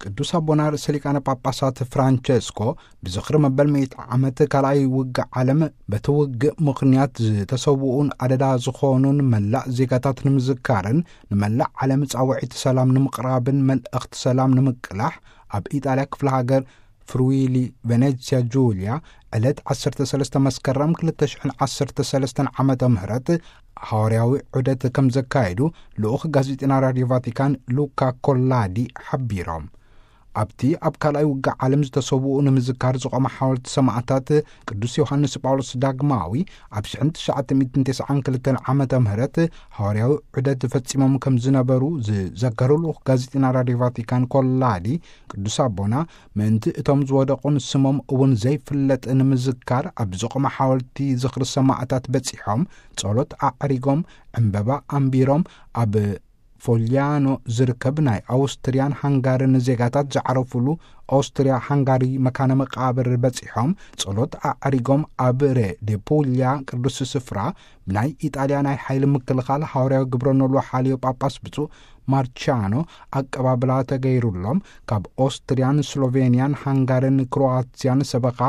ቅዱስ ኣቦና ርእሰ ሊቃነ ጳጳሳት ፍራንቸስኮ ብዝኽሪ መበል ሚእቲ ዓመት ካልኣይ ውግእ ዓለም በቲ ውግእ ምኽንያት ዝተሰውኡን ኣደዳ ዝኾኑን መላእ ዜጋታት ንምዝካርን ንመላእ ዓለም ጻውዒት ሰላም ንምቕራብን መልእኽቲ ሰላም ንምቅላሕ ኣብ ኢጣልያ ክፍለ ሃገር ፍሩዊሊ ቬኔትስያ ጁልያ ዕለት ዓሰርተ ሰለስተ መስከረም ክልተ ሽሕን ዓሰርተ ሰለስተን ዓመተ ምህረት ሃዋርያዊ ዑደት ከም ዘካየዱ ልኡኽ ጋዜጠና ራድዮ ቫቲካን ሉካ ኮላዲ ሓቢሮም። ኣብቲ ኣብ ካልኣይ ውግእ ዓለም ዝተሰውኡ ንምዝካር ዝቖመ ሓወልቲ ሰማዕታት ቅዱስ ዮሃንስ ጳውሎስ ዳግማዊ ኣብ ሽሕን ትሽዓተ ሚእትን ተስዓን ክልተን ዓመተ ምህረት ሃዋርያዊ ዑደት ፈጺሞም ከም ዝነበሩ ዝዘከሩ ልኡኽ ጋዜጠና ራድዮ ቫቲካን ኮላዲ ቅዱስ ኣቦና ምእንቲ እቶም ዝወደቑን ስሞም እውን ዘይፍለጥ ንምዝካር ኣብ ዝቖመ ሓወልቲ ዝኽሪ ሰማዕታት በጺሖም ጸሎት ኣዕሪጎም ዕምበባ ኣንቢሮም ኣብ ፎልያኖ ዝርከብ ናይ ኣውስትርያን ሃንጋርን ዜጋታት ዝዓረፉሉ ኦስትርያ ሃንጋሪ መካነ መቃብር በጺሖም ጸሎት ኣዕሪጎም ኣብ ሬ ዴ ፑልያ ቅዱስ ስፍራ ብናይ ኢጣልያ ናይ ሓይሊ ምክልኻል ሃዋርያዊ ግብረ ኖሎ ሓልዮ ጳጳስ ብፁዕ ማርቻኖ ኣቀባብላ ተገይሩሎም ካብ ኦስትርያን ስሎቬንያን ሃንጋርን ክሮዋትያን ሰበኻ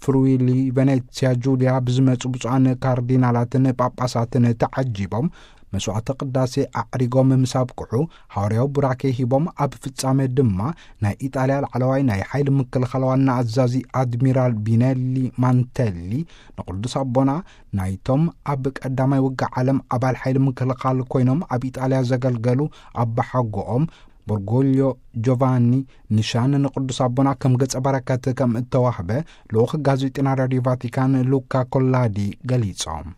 ፍሩዊሊ ቬኔትስያ ጁልያ ብዝመጹ ብፁዓን ካርዲናላትን ጳጳሳትን ተዓጂቦም መስዋዕተ ቅዳሴ ኣዕሪጎም ምስ ኣብቅዑ ሃዋርያዊ ቡራኬ ሂቦም ኣብ ፍጻሜ ድማ ናይ ኢጣልያ ላዕለዋይ ናይ ሓይሊ ምክልኻል ዋና ኣዛዚ ኣድሚራል ቢነሊ ማንተሊ ንቅዱስ ኣቦና ናይቶም ኣብ ቀዳማይ ውግእ ዓለም ኣባል ሓይሊ ምክልኻል ኮይኖም ኣብ ኢጣልያ ዘገልገሉ ኣባሓጎኦም ቦርጎልዮ ጆቫኒ ንሻን ንቅዱስ ኣቦና ከም ገጸ በረከት ከም እተዋህበ ልኡኽ ጋዜጠና ራድዮ ቫቲካን ሉካ ኮላዲ ገሊጾም።